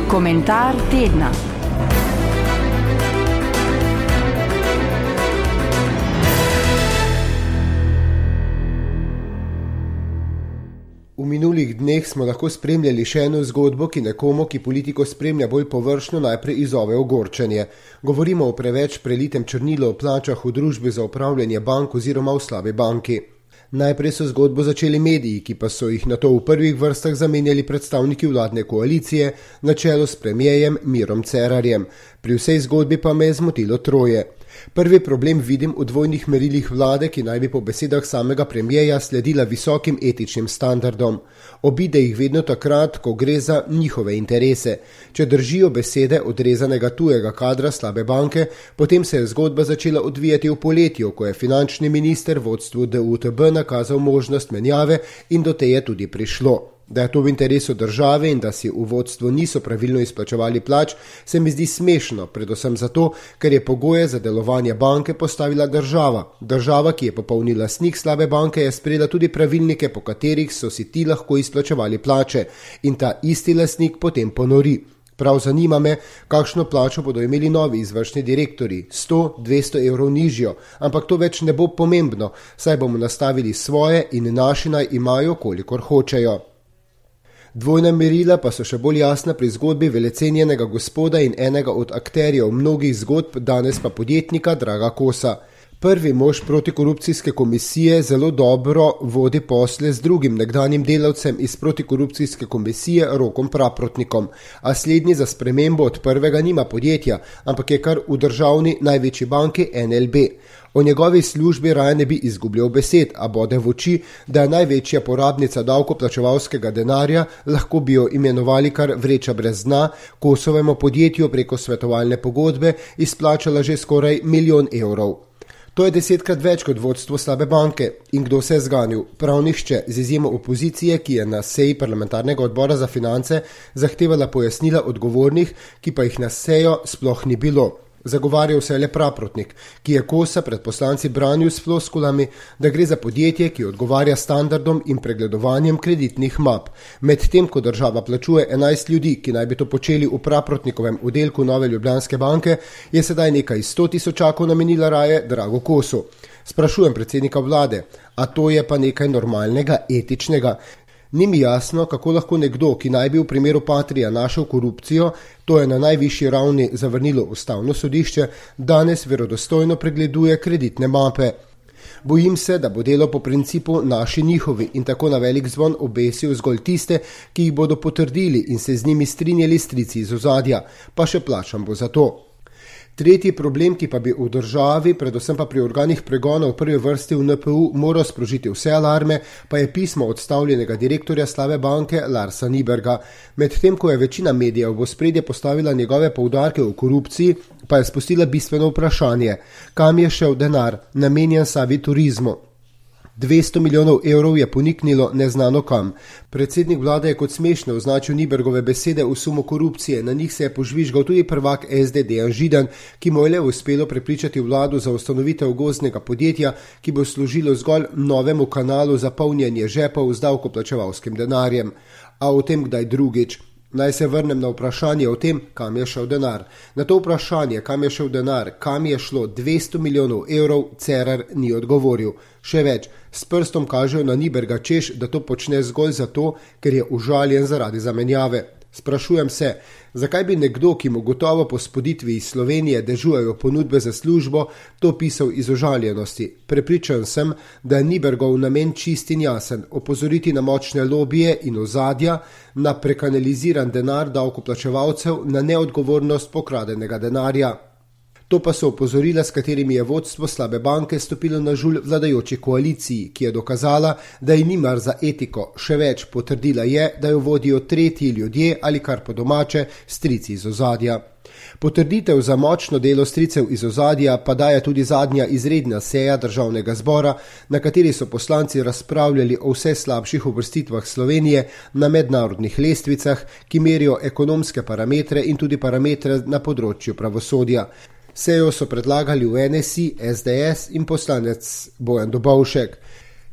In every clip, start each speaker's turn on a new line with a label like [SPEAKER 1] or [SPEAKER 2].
[SPEAKER 1] Komentar tedna.
[SPEAKER 2] V minulih dneh smo lahko spremljali še eno zgodbo, ki nekomu, ki politiko spremlja bolj površno, najprej izzove ogorčenje. Govorimo o preveč prelitem črnilu o plačah v družbi za upravljanje bank oziroma v slabi banki. Najprej so zgodbo začeli mediji, ki pa so jih nato v prvih vrstah zamenjali predstavniki vladne koalicije na čelu s premierjem Mirom Cerarjem. Pri vsej zgodbi pa me je zmotilo troje. Prvi problem vidim v dvojnih merilih vlade, ki naj bi po besedah samega premierja sledila visokim etičnim standardom. Obide jih vedno takrat, ko gre za njihove interese. Če držijo besede odrezanega tujega kadra slabe banke, potem se je zgodba začela odvijati v poletju, ko je finančni minister vodstvu DUTB nakazal možnost menjave in do te je tudi prišlo. Da je to v interesu države in da si v vodstvu niso pravilno izplačevali plač, se mi zdi smešno, predvsem zato, ker je pogoje za delovanje banke postavila država. Država, ki je popolni lastnik slabe banke, je sprejela tudi pravilnike, po katerih so si ti lahko izplačevali plače in ta isti lastnik potem ponori. Prav zanima me, kakšno plačo bodo imeli novi izvršni direktori, 100-200 evrov nižjo, ampak to več ne bo pomembno, saj bomo nastavili svoje in naši naj imajo, kolikor hočejo. Dvojna merila pa so še bolj jasna pri zgodbi velecenjenega gospoda in enega od akterjev mnogih zgodb, danes pa podjetnika Draga Kosa. Prvi mož protikorupcijske komisije zelo dobro vodi posle z drugim nekdanjim delavcem iz protikorupcijske komisije Rokom Praprotnikom, a slednji za spremembo od prvega nima podjetja, ampak je kar v državni največji banki NLB. O njegovi službi raje ne bi izgubljal besed, a bode v oči, da je največja porabnica davkoplačevalskega denarja, lahko bi jo imenovali kar vreča brez dna, Kosovemu podjetju preko svetovalne pogodbe izplačala že skoraj 1 milijon evrov. To je 10krat več kot vodstvo slabe banke. In kdo se je zganil? Prav nihče, z izjemo opozicije, ki je na seji parlamentarnega odbora za finance zahtevala pojasnila odgovornih, ki pa jih na sejo sploh ni bilo. Zagovarjal se je le Praprotnik, ki je Kosa pred poslanci branil s floskulami, da gre za podjetje, ki odgovarja standardom in pregledovanjem kreditnih map. Medtem, ko država plačuje 11 ljudi, ki naj bi to počeli v Praprotnikovem oddelku Nove Ljubljanske banke, je sedaj nekaj 100 tisočakov namenila raje Dragu Kosu. Sprašujem predsednika vlade, a to je pa nekaj normalnega, etičnega? Ni mi jasno, kako lahko nekdo, ki naj bi v primeru Patria našel korupcijo, to je na najvišji ravni zavrnilo ustavno sodišče, danes verodostojno pregleduje kreditne mape. Bojim se, da bo delo po principu naši njihovi in tako na velik zvon obesil zgolj tiste, ki jih bodo potrdili in se z njimi strinjali strici iz ozadja, pa še plačam bo za to. Tretji problem, ki pa bi v državi, predvsem pa pri organih pregona v prvi vrsti v NPU moral sprožiti vse alarme, pa je pismo odstavljenega direktorja slabe banke Larsa Nyberga. Medtem, ko je večina medijev v ospredje postavila njegove poudarke o korupciji, pa je spustila bistveno vprašanje, kam je šel denar, namenjen Savi Turizmu. 200 milijonov evrov je poniknilo neznano kam. Predsednik vlade je kot smešno označil Nybergove besede v sumu korupcije, na njih se je požvižgal tudi prvak SD Dejan Židan, ki mu je le uspelo prepričati vladu za ustanovitev gozdnega podjetja, ki bo služilo zgolj novemu kanalu za polnjenje žepov z davkoplačevalskim denarjem. A o tem kdaj drugič. Naj se vrnem na vprašanje o tem, kam je šel denar. Na to vprašanje, kam je šel denar, kam je šlo 200 milijonov evrov, Cerar ni odgovoril. Še več, s prstom kažejo na Nyberga, češ, da to počne zgolj zato, ker je užaljen zaradi zamenjave. Sprašujem se, zakaj bi nekdo, ki mu gotovo po spoditvi iz Slovenije dežujejo ponudbe za službo, to pisal iz užaljenosti. Prepričan sem, da je Nybergov namen čist in jasen, opozoriti na močne lobije in ozadja, na prekanaliziran denar davkoplačevalcev, na neodgovornost pokradenega denarja. To pa so opozorila, s katerimi je vodstvo slabe banke stopilo na žulj vladajoči koaliciji, ki je dokazala, da ji ni mar za etiko, še več potrdila je, da jo vodijo tretji ljudje ali kar po domače strici iz ozadja. Potrditev za močno delo stricev iz ozadja pa daje tudi zadnja izredna seja državnega zbora, na kateri so poslanci razpravljali o vse slabših uvrstitvah Slovenije na mednarodnih lestvicah, ki merijo ekonomske parametre in tudi parametre na področju pravosodja. Sejo so predlagali v NSI, SDS in poslanec Bojan Dobovšek.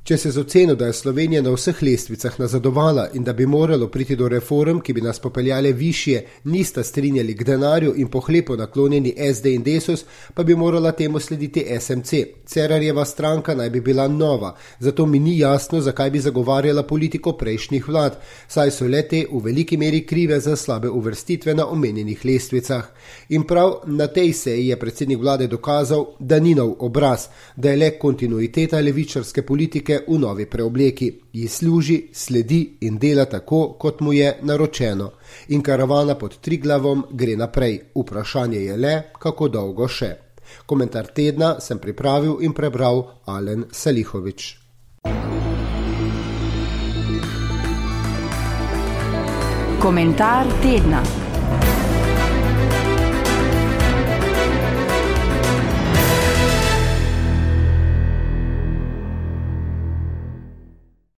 [SPEAKER 2] Če se z oceno, da je Slovenija na vseh lestvicah nazadovala in da bi moralo priti do reform, ki bi nas popeljale višje, nista strinjali k denarju in pohlepo naklonjeni SD in Desus, pa bi morala temu slediti SMC. Cerarjeva stranka naj bi bila nova, zato mi ni jasno, zakaj bi zagovarjala politiko prejšnjih vlad, saj so le te v veliki meri krive za slabe uvrstitve na omenjenih lestvicah. In prav na tej seji je predsednik vlade dokazal, da ni nov obraz, da je le kontinuiteta levičarske politike v novi preobleki, ji služi, sledi in dela tako, kot mu je naročeno. In karavana pod Triglavom gre naprej. Vprašanje je le, kako dolgo še. Komentar tedna sem pripravil in prebral Alen Salihović.
[SPEAKER 1] Komentar tedna.